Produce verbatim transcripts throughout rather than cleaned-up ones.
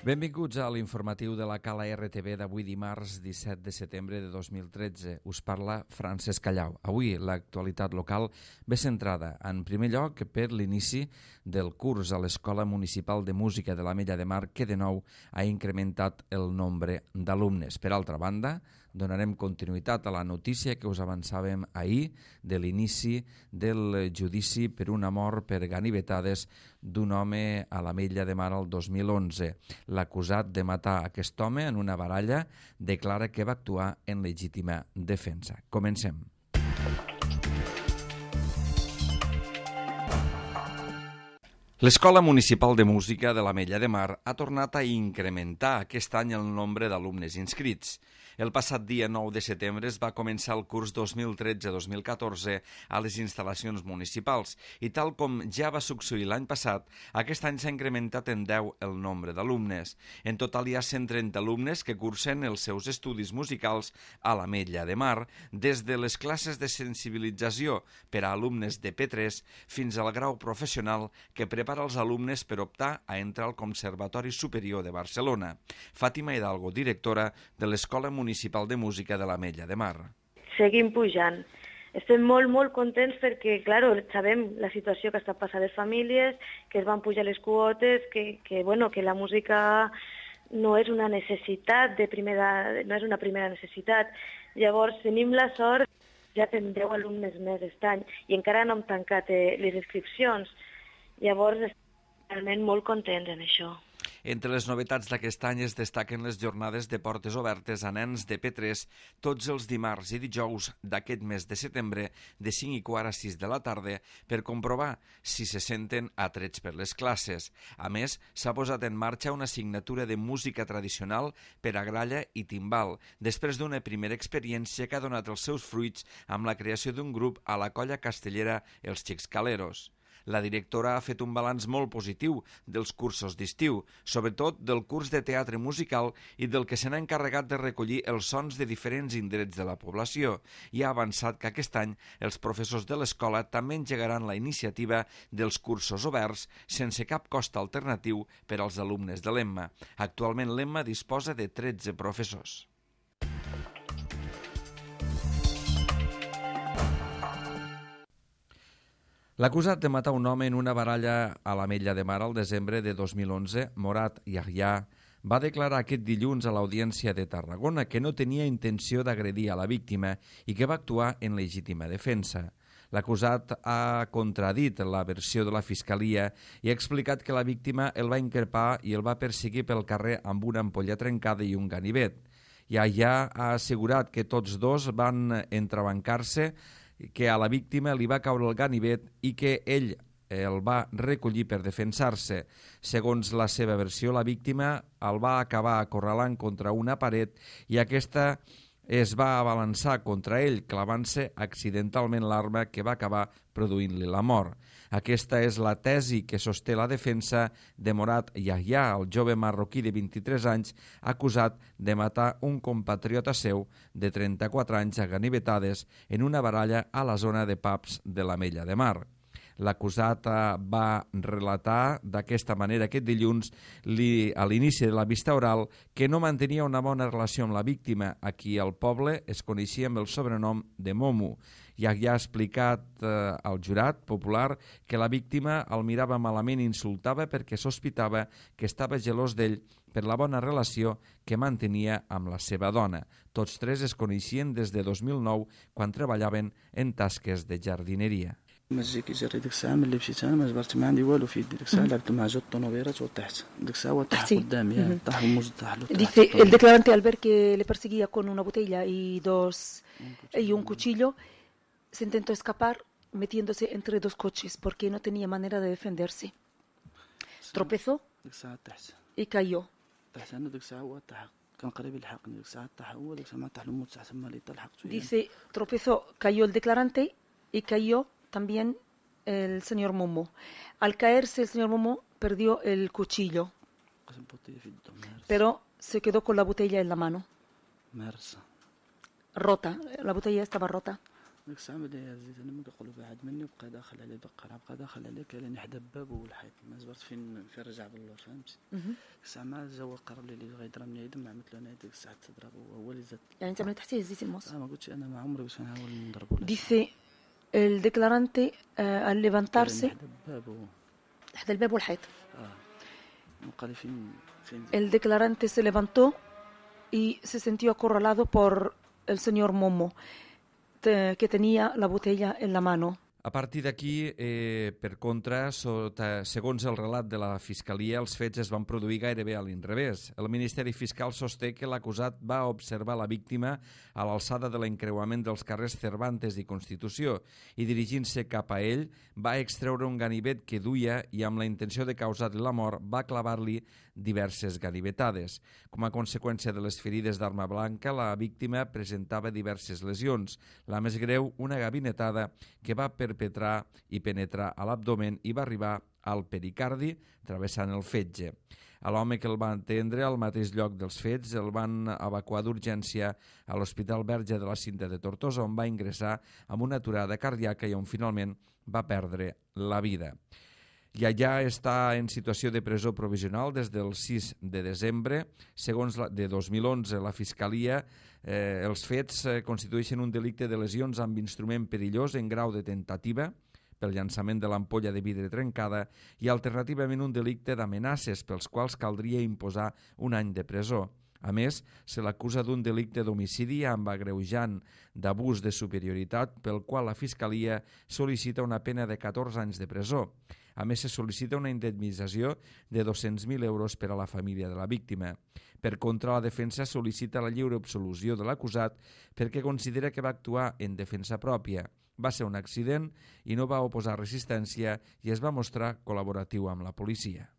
Benvinguts a l'informatiu de la Cala R T V d'avui dimarts disset de setembre de dos mil tretze. Us parla Francesc Callau. Avui l'actualitat local ve centrada, en primer lloc, per l'inici del curs a l'Escola Municipal de Música de l'Ametlla de Mar, que de nou ha incrementat el nombre d'alumnes. Per altra banda, donarem continuïtat a la notícia que us avançàvem ahir de l'inici del judici per una mort per ganivetades d'un home a l'Ametlla de Mar el dos mil onze. L'acusat de matar aquest home en una baralla declara que va actuar en legítima defensa. Comencem. L'Escola Municipal de Música de l'Ametlla de Mar ha tornat a incrementar aquest any el nombre d'alumnes inscrits. El passat dia nou de setembre es va començar el curs dos mil tretze dos mil catorze a les instal·lacions municipals i tal com ja va succeir l'any passat, aquest any s'ha incrementat en deu el nombre d'alumnes. En total hi ha cent trenta alumnes que cursen els seus estudis musicals a l'Ametlla de Mar, des de les classes de sensibilització per a alumnes de P tres fins al grau professional que prepara els alumnes per optar a entrar al Conservatori Superior de Barcelona. Fàtima Hidalgo, directora de l'Escola Municipal de Música de l'Ametlla de Mar. Seguim pujant. Estem molt, molt contents perquè, clar, sabem la situació que està passant a les famílies, que es van pujar les quotes, que, que, bueno, que la música no és una necessitat de primera, no és una primera necessitat. Llavors, tenim la sort, ja tenim deu alumnes més aquest any i encara no hem tancat eh, les inscripcions. Llavors, estem realment molt contents en això. Entre les novetats d'aquest any es destaquen les jornades de portes obertes a nens de P tres tots els dimarts i dijous d'aquest mes de setembre de cinc i quart a sis de la tarda per comprovar si se senten atrets per les classes. A més, s'ha posat en marxa una assignatura de música tradicional per a gralla i timbal, després d'una primera experiència que ha donat els seus fruits amb la creació d'un grup a la colla castellera Els Xics Caleros. La directora ha fet un balanç molt positiu dels cursos d'estiu, sobretot del curs de teatre musical i del que se n'ha encarregat de recollir els sons de diferents indrets de la població, i ha avançat que aquest any els professors de l'escola també engegaran la iniciativa dels cursos oberts sense cap cost alternatiu per als alumnes de l'Emma. Actualment l'Emma disposa de tretze professors. L'acusat de matar un home en una baralla a l'Ametlla de Mar al desembre de dos mil onze, Morat Yahya, va declarar aquest dilluns a l'Audiència de Tarragona que no tenia intenció d'agredir a la víctima i que va actuar en legítima defensa. L'acusat ha contradit la versió de la Fiscalia i ha explicat que la víctima el va increpar i el va perseguir pel carrer amb una ampolla trencada i un ganivet. Yahya ha assegurat que tots dos van entrebancar-se, que a la víctima li va caure el ganivet i que ell el va recollir per defensar-se. Segons la seva versió, la víctima el va acabar acorralant contra una paret i aquesta es va abalançar contra ell, clavant-se accidentalment l'arma que va acabar produint-li la mort. Aquesta és la tesi que sosté la defensa de Morat Yahya, el jove marroquí de vint-i-tres anys, acusat de matar un compatriota seu de trenta-quatre anys a ganivetades en una baralla a la zona de pubs de l'Ametlla de Mar. L'acusat va relatar d'aquesta manera aquest dilluns a l'inici de la vista oral que no mantenia una bona relació amb la víctima, a qui al poble es coneixia amb el sobrenom de Momo. Yahya ha explicat eh, al jurat popular que la víctima el mirava malament i insultava perquè sospitava que estava gelós d'ell per la bona relació que mantenia amb la seva dona. Tots tres es coneixien des de dos mil nou, quan treballaven en tasques de jardineria. مزيكي جري ديك الساعة ملي مشيت أنا ما جبرت ما عندي والو في يدي ديك الساعة لعبت مع جوج طونوبيرات وطحت ديك الساعة وطاح قدامي طاح الموز طاح له. Dice el declarante al ver que le perseguía con una botella y dos y un cuchillo se intentó escapar metiéndose entre dos coches porque no tenía manera de defenderse. Tropezó y cayó. Dice tropezó, cayó el declarante y cayó también el señor Momo. Al caerse el señor Momo perdió el cuchillo, pero se quedó con la botella en la mano. Rota, la botella estaba rota. ديك الساعة ملي هزيت أنا ما كيقولوا بعد مني وبقى داخل عليه بقى بقى داخل عليه كان حدا الباب والحيط ما زبرت فين فين رجع باللور فهمتي. ديك الساعة ما جا قرر لي اللي غيضربني يدم ما عملت له أنا ديك الساعة تضرب هو اللي زاد. يعني أنت من تحتيه هزيتي الموس؟ اه ما قلتش أنا ما عمري باش نحاول نضربه. Dice el declarante uh, al levantarse حدا الباب و... حدا الباب والحيط. اه وقال لي فين فين. El declarante se levantó y se sintió acorralado por el señor Momo, te, que tenía la botella en la mano. A partir d'aquí, eh, per contra, sota, segons el relat de la Fiscalia, els fets es van produir gairebé a l'inrevés. El Ministeri Fiscal sosté que l'acusat va observar la víctima a l'alçada de l'encreuament dels carrers Cervantes i Constitució i, dirigint-se cap a ell, va extreure un ganivet que duia i, amb la intenció de causar-li la mort, va clavar-li diverses ganivetades. Com a conseqüència de les ferides d'arma blanca, la víctima presentava diverses lesions. La més greu, una gabinetada que va perpetrar i penetrar a l'abdomen i va arribar al pericardi, travessant el fetge. A l'home que el va atendre al mateix lloc dels fets el van evacuar d'urgència a l'Hospital Verge de la Cinta de Tortosa, on va ingressar amb una aturada cardíaca i on finalment va perdre la vida. I allà està en situació de presó provisional des del sis de desembre. Segons la, de dos mil onze, la Fiscalia, eh, els fets eh, constitueixen un delicte de lesions amb instrument perillós en grau de tentativa pel llançament de l'ampolla de vidre trencada i alternativament un delicte d'amenaces pels quals caldria imposar un any de presó. A més, se l'acusa d'un delicte d'homicidi amb agreujant d'abús de superioritat pel qual la Fiscalia sol·licita una pena de catorze anys de presó. A més, se sol·licita una indemnització de dos-cents mil euros per a la família de la víctima. Per contra, la defensa sol·licita la lliure absolució de l'acusat perquè considera que va actuar en defensa pròpia. Va ser un accident i no va oposar resistència i es va mostrar col·laboratiu amb la policia.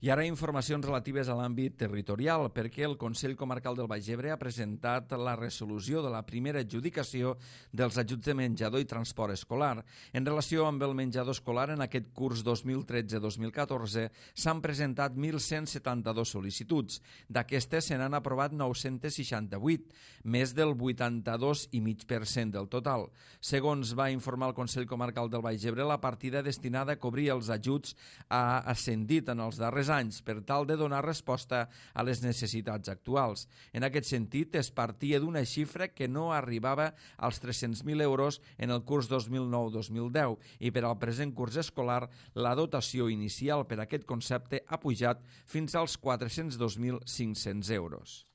I ara informacions relatives a l'àmbit territorial, perquè el Consell Comarcal del Baix Ebre ha presentat la resolució de la primera adjudicació dels ajuts de menjador i transport escolar. En relació amb el menjador escolar, en aquest curs dos mil tretze dos mil catorze s'han presentat mil cent setanta-dos sol·licituds. D'aquestes se n'han aprovat nou-cents seixanta-vuit, més del vuitanta-dos coma cinc per cent del total. Segons va informar el Consell Comarcal del Baix Ebre, la partida destinada a cobrir els ajuts ha ascendit en els darrers anys per tal de donar resposta a les necessitats actuals. En aquest sentit, es partia d'una xifra que no arribava als tres-cents mil euros en el curs dos mil nou dos mil deu i per al present curs escolar la dotació inicial per a aquest concepte ha pujat fins als quatre-cents dos mil cinc-cents euros.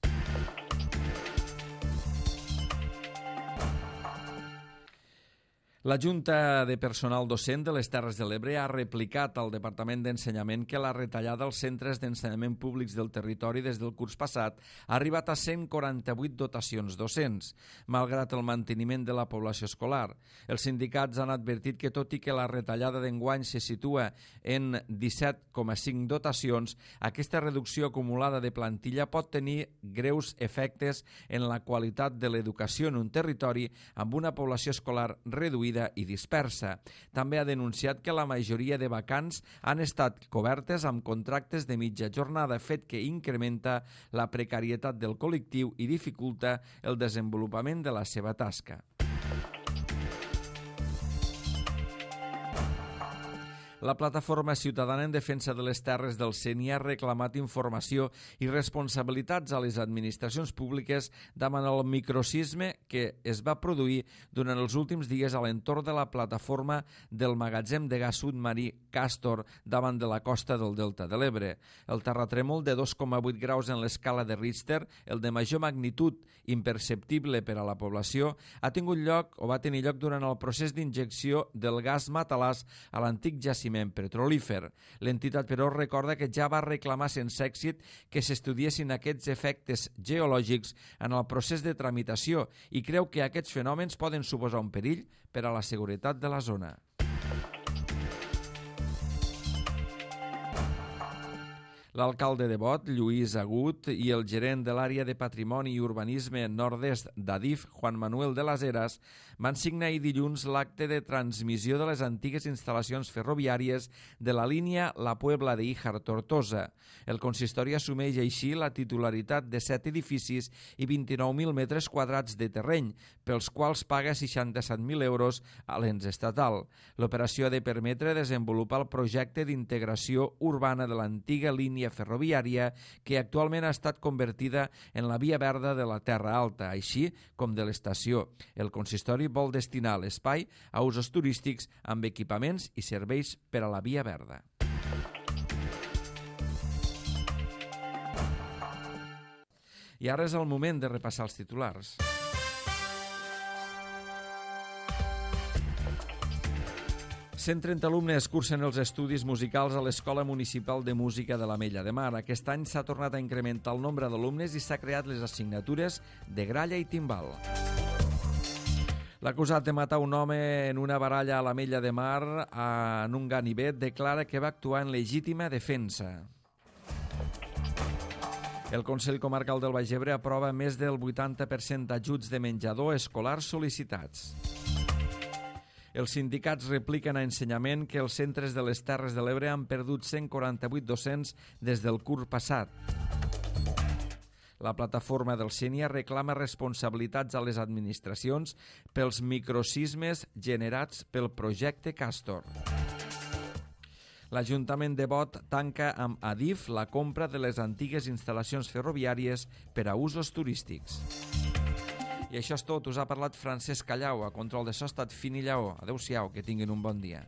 La Junta de Personal Docent de les Terres de l'Ebre ha replicat al Departament d'Ensenyament que la retallada als centres d'ensenyament públics del territori des del curs passat ha arribat a cent quaranta-vuit dotacions docents, malgrat el manteniment de la població escolar. Els sindicats han advertit que, tot i que la retallada d'enguany se situa en disset coma cinc dotacions, aquesta reducció acumulada de plantilla pot tenir greus efectes en la qualitat de l'educació en un territori amb una població escolar reduïda i dispersa. També ha denunciat que la majoria de vacants han estat cobertes amb contractes de mitja jornada, fet que incrementa la precarietat del col·lectiu i dificulta el desenvolupament de la seva tasca. La Plataforma Ciutadana en Defensa de les Terres del Seny ha reclamat informació i responsabilitats a les administracions públiques davant el microsisme que es va produir durant els últims dies a l'entorn de la plataforma del magatzem de gas submarí Castor davant de la costa del Delta de l'Ebre. El terratrèmol de dos coma vuit graus en l'escala de Richter, el de major magnitud imperceptible per a la població, ha tingut lloc o va tenir lloc durant el procés d'injecció del gas matalàs a l'antic jaciment petrolífer. L'entitat, però, recorda que ja va reclamar sense èxit que s'estudiessin aquests efectes geològics en el procés de tramitació i creu que aquests fenòmens poden suposar un perill per a la seguretat de la zona. L'alcalde de Bot, Lluís Agut, i el gerent de l'àrea de Patrimoni i Urbanisme Nord-est d'Adif, Juan Manuel de las Heras, van signar ahir dilluns l'acte de transmissió de les antigues instal·lacions ferroviàries de la línia La Puebla de Híjar-Tortosa. El consistori assumeix així la titularitat de set edificis i vint-i-nou mil metres quadrats de terreny, pels quals paga seixanta-set mil euros a l'ens estatal. L'operació ha de permetre desenvolupar el projecte d'integració urbana de l'antiga línia ferroviària que actualment ha estat convertida en la via verda de la Terra Alta, així com de l'estació. El consistori vol destinar l'espai a usos turístics amb equipaments i serveis per a la via verda. I ara és el moment de repassar els titulars. cent trenta alumnes cursen els estudis musicals a l'Escola Municipal de Música de l'Ametlla de Mar. Aquest any s'ha tornat a incrementar el nombre d'alumnes i s'ha creat les assignatures de gralla i timbal. L'acusat de matar un home en una baralla a l'Ametlla de Mar en un ganivet declara que va actuar en legítima defensa. El Consell Comarcal del Baix Ebre aprova més del vuitanta per cent d'ajuts de menjador escolar sol·licitats. Els sindicats repliquen a Ensenyament que els centres de les Terres de l'Ebre han perdut cent quaranta-vuit docents des del curs passat. La plataforma del Sénia reclama responsabilitats a les administracions pels microsismes generats pel projecte Castor. L'Ajuntament de Bot tanca amb Adif la compra de les antigues instal·lacions ferroviàries per a usos turístics. I això és tot. Us ha parlat Francesc Callau. A control de so ha estat Fini Lleó. Adéu-siau, que tinguin un bon dia.